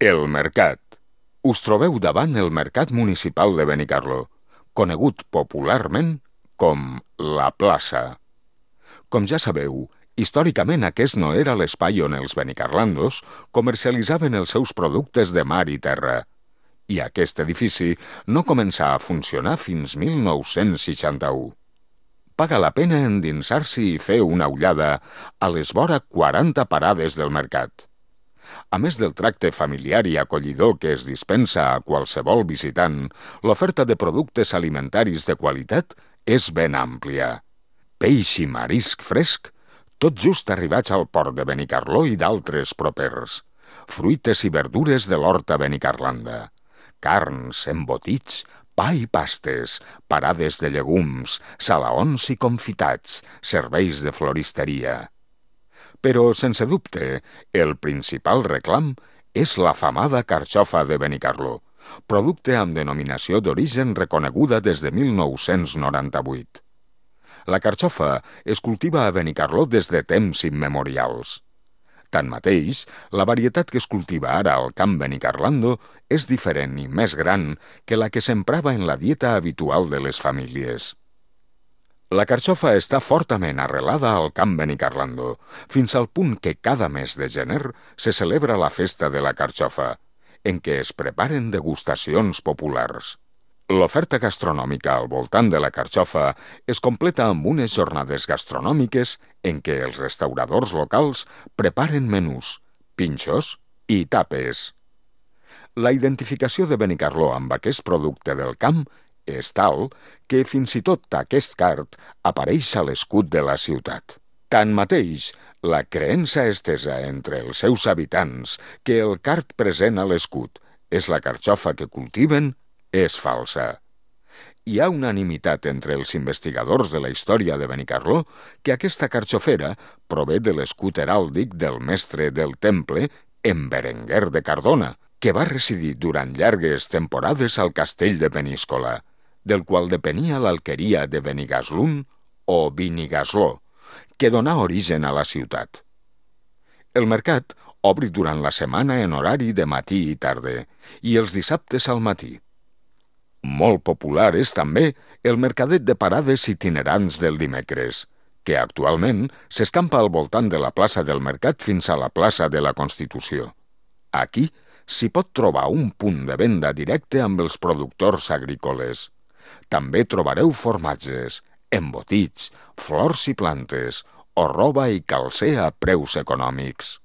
El Mercat. Us trobeu davant el Mercat Municipal de Benicarló, conegut popularment com la Plaça. Com ja sabeu, històricament aquest no era l'espai on els benicarlandos comercialitzaven els seus productes de mar i terra, i aquest edifici no començà a funcionar fins 1961. Paga la pena endinsar-s'hi i fer una ullada a les vora 40 parades del mercat. A més del tracte familiar i acollidor que es dispensa a qualsevol visitant, l'oferta de productes alimentaris de qualitat és ben àmplia. Peix i marisc fresc, tot just arribats al port de Benicarló i d'altres propers. Fruites i verdures de l'horta benicarlanda. Carns, embotits, pa i pastes, parades de llegums, salaons i confitats, serveis de floristeria. Però, sense dubte, el principal reclam és l'afamada carxofa de Benicarló, producte amb denominació d'origen reconeguda des de 1998. La carxofa es cultiva a Benicarló des de temps immemorials. Tanmateix, la varietat que es cultiva ara al camp benicarlando és diferent i més gran que la que s'emprava en la dieta habitual de les famílies. La carxofa està fortament arrelada al camp benicarlando, fins al punt que cada mes de gener se celebra la festa de la carxofa, en què es preparen degustacions populars. L'oferta gastronòmica al voltant de la carxofa es completa amb unes jornades gastronòmiques en què els restauradors locals preparen menús, pinxos i tapes. La identificació de Benicarló amb aquest producte del camp és tal que fins i tot aquest card apareix a l'escut de la ciutat. Tanmateix, la creença estesa entre els seus habitants que el card present a l'escut és la carxofa que cultiven és falsa. Hi ha unanimitat entre els investigadors de la història de Benicarló que aquesta carxofera prové de l'escut heràldic del mestre del temple, en Berenguer de Cardona, que va residir durant llargues temporades al castell de Peníscola, del qual depenia l'alqueria de Benigaslun o Benigasló, que donà origen a la ciutat. El mercat obri durant la setmana en horari de matí i tarda, i els dissabtes al matí. Molt popular és també el mercadet de parades itinerants del dimecres, que actualment s'escampa al voltant de la plaça del Mercat fins a la plaça de la Constitució. Aquí s'hi pot trobar un punt de venda directe amb els productors agrícoles. També trobareu formatges, embotits, flors i plantes, o roba i calcer a preus econòmics.